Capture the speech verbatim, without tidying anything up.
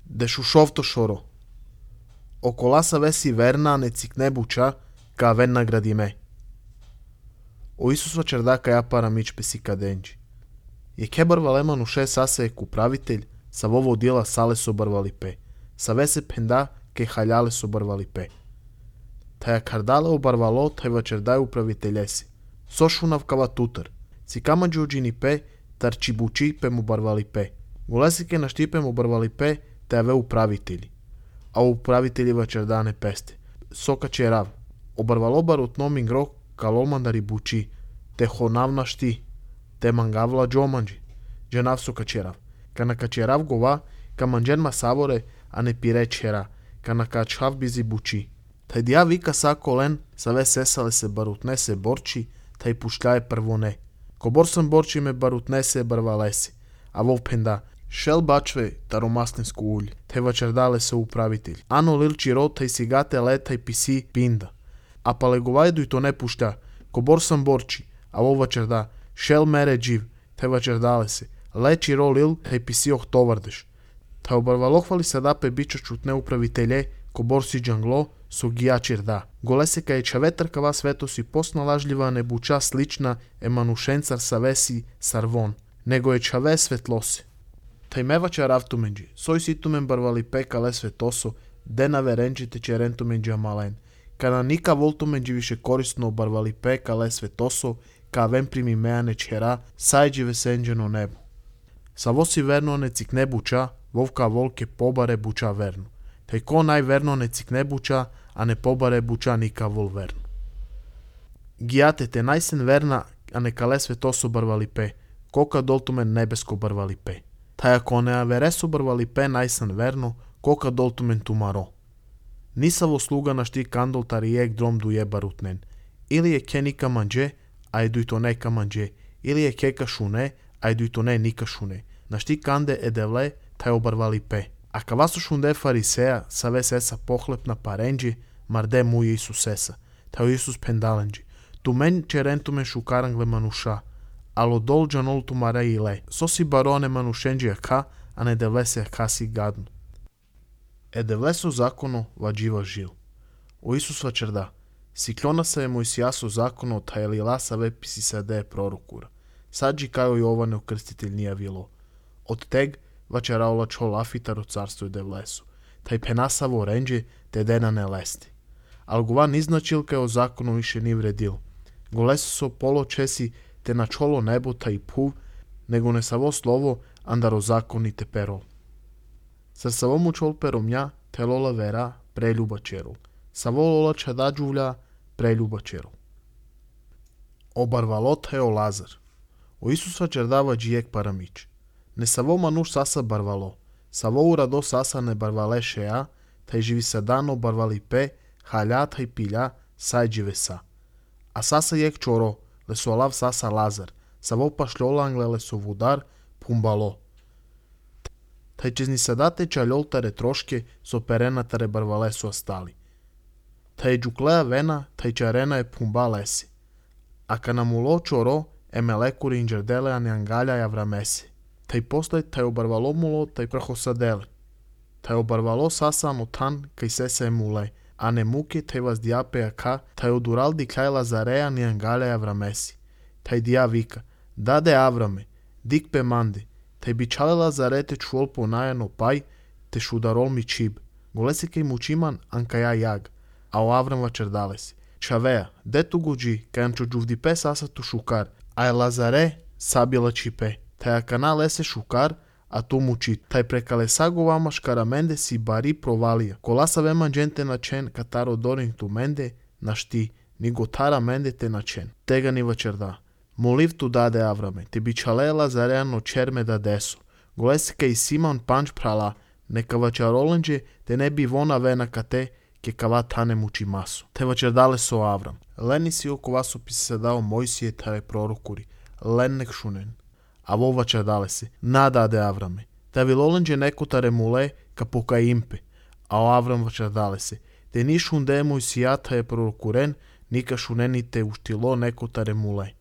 де шушовто шоро. Околаса веси верна не цикнебуча, ка вен наградиме. O Isus čerda ja paramич pesika denđi. Je kebar valeman uše sase ek upravitelj, sa vovo dijela sale sobarvali pe, sa vese penda ke haljale sobarvali pe. Ta ja kardale obarvalo, ta je čerdaj upraviteljesi. Sošunav kava tutar, cikama džuđini pe, tar čibuči pe mu barvali pe. Gulesike na štipe mu barvali pe, ta je ve upravitelji. A upravitelji vačerdane peste. Soka će rav. Obarvalo barut nomin grok, kalomandari buči, te honavna šti, te mangavla džomanđi, dženav su kačerav. Kana kačerav gova, ka manđen ma savore, a ne pire čera, kana kačhav bizi buči. Taj dija vika sako len, sa ve sesale se barutne se borči, taj pušljaje prvo ne. Ko bor sam borči me barutne se barvalesi, a vov penda, šel bačve taromaslinsku ulj, te vačerdale se upravitelj. Ano lilči rot, taj sigate letaj pisi pinda. A pa legovajdu i to ne pušta, ko bor sam borči, a ovo vačerda, šel mere dživ, te vačerdale se, leči ro lil, te pisi oh tovardeš. Ta obarvalohvali se dape biča čutne upravitelje, ko bor si džanglo, su gija čirda. Gole se ka je čavetrkava svetosi posnalažljiva ne buča slična emanušencar sa vesi sarvon, nego je čave svetlose. Taj mevača ravtumenđi, soj situmen barvali peka le svetoso, dena verenđi te čerentumenđi amalen. Kada nika voltumenđi više korisno obarvali peka le svetoso, ka ven primi meane čera, sajđi vesenđeno nebo. Sa vosi verno ne cikne buča, vovka volke pobare buča verno. Taj ko najverno ne cikne buča, a ne pobare buča nika vol verno. Gijate te najsen verna, a ne kale svetoso barvali pe, koka doltumen nebesko barvali pe. Taj ako ne avereso barvali pe najsen verno, koka doltumen tumaro. Nisavo sluga na šti kandol tarijek drom duje barutnen. Ili je ke nika manđe, a edu i to ne kamanđe. Ili je ke kašune, a edu i to ne nika šune. Na šti kande edevle, taj obarvali pe. A kavasu šunde fariseja, sa ve sesa pohlepna parenđi, marde mu Isus sesa. Taj Isus pendalenđi. Tu men čerentumen šukarangle manuša. Alo dol džanol tu mare ile. So si barone manušenđi aka, a ne devle se aka si gadnu. Edevle su zakono vađiva žil. O Isus vačerda. Siklona se je Mojsijaso zakono ta je lila sa ve pisi se de prorokura. Sadži kajo Jovane ukrstitelj nije vilo. Od teg vačeraola čol afitar u carstvu i devlesu. Taj penasavo renđe te dena ne lesti. Al gova niznačilka o zakonu više ni vredil. Golesu so polo česi te na čolo nebo ta i puv, nego ne savo slovo andaro zakoni te perol. Sar savomu čol peromnja te lola vera preljuba čerol. Savo lola čadađuvlja preljuba čerol. Obarvalot je o Lazar. O Isus vačerdava džijek paramič. Ne savo manuš sasa barvalo. Savo urado sasa ne barvale šeja, taj živi sa dano barvali pe, halja taj pilja, saj džive sa. A sasa jek čoro, le su alav sasa Lazar. Savo pašljolangle le su vudar, pumbalo. Taj čezni sadate čaljoltare troške, so perenatare barvale su ostali. Taj džuklea vena, taj čarena je pumba lesi. A kanamulo čoro, emelekuri inđerdele a ne angalja javramesi. Taj posle taj obarvalo mulo, taj prahosadele. Taj obarvalo sasa motan, kaj sese emule, a ne muke taj vas diape aka, taj odural di kaj Lazareja ni angalja javramesi. Taj dia vika, dade Avrame, dik pe mande, taj bičale Lazarete čuol ponajano paj, te šudarol mi čib. Golesi kaj mučiman ankaja jag, a o Avram vačerdalesi. Čaveja, de tu guđi, kaj ančo džuvdipe sasa tu šukar, a je Lazare sabila čipe. Taj akana lese šukar, a tu muči. Taj prekale sago vama škaramende si bari provalija. Kolasa vema džente na čen, kataro dorin tu mende, na šti, ni gotara mende te na čen. Tega ni vačerda. Moliv tu dade Avrame, te bičale Lazareano čerme da deso. Golese kaj Simon panč prala, neka vačarolenđe, te ne bi vona vena kate, ke kava tane muči masu. Te vačerdale so Avram. Leni si oko vasu pisi se dao Mojsije tare prorokuri. Len nek šunen. A vo vačerdale se. Nadade Avrame. Te vilolenđe neko tare mule ka poka impe. A o Avram vačerdale se. Te ni šunde Mojsija tare prorokuren, nika šuneni te uštilo neko tare mule.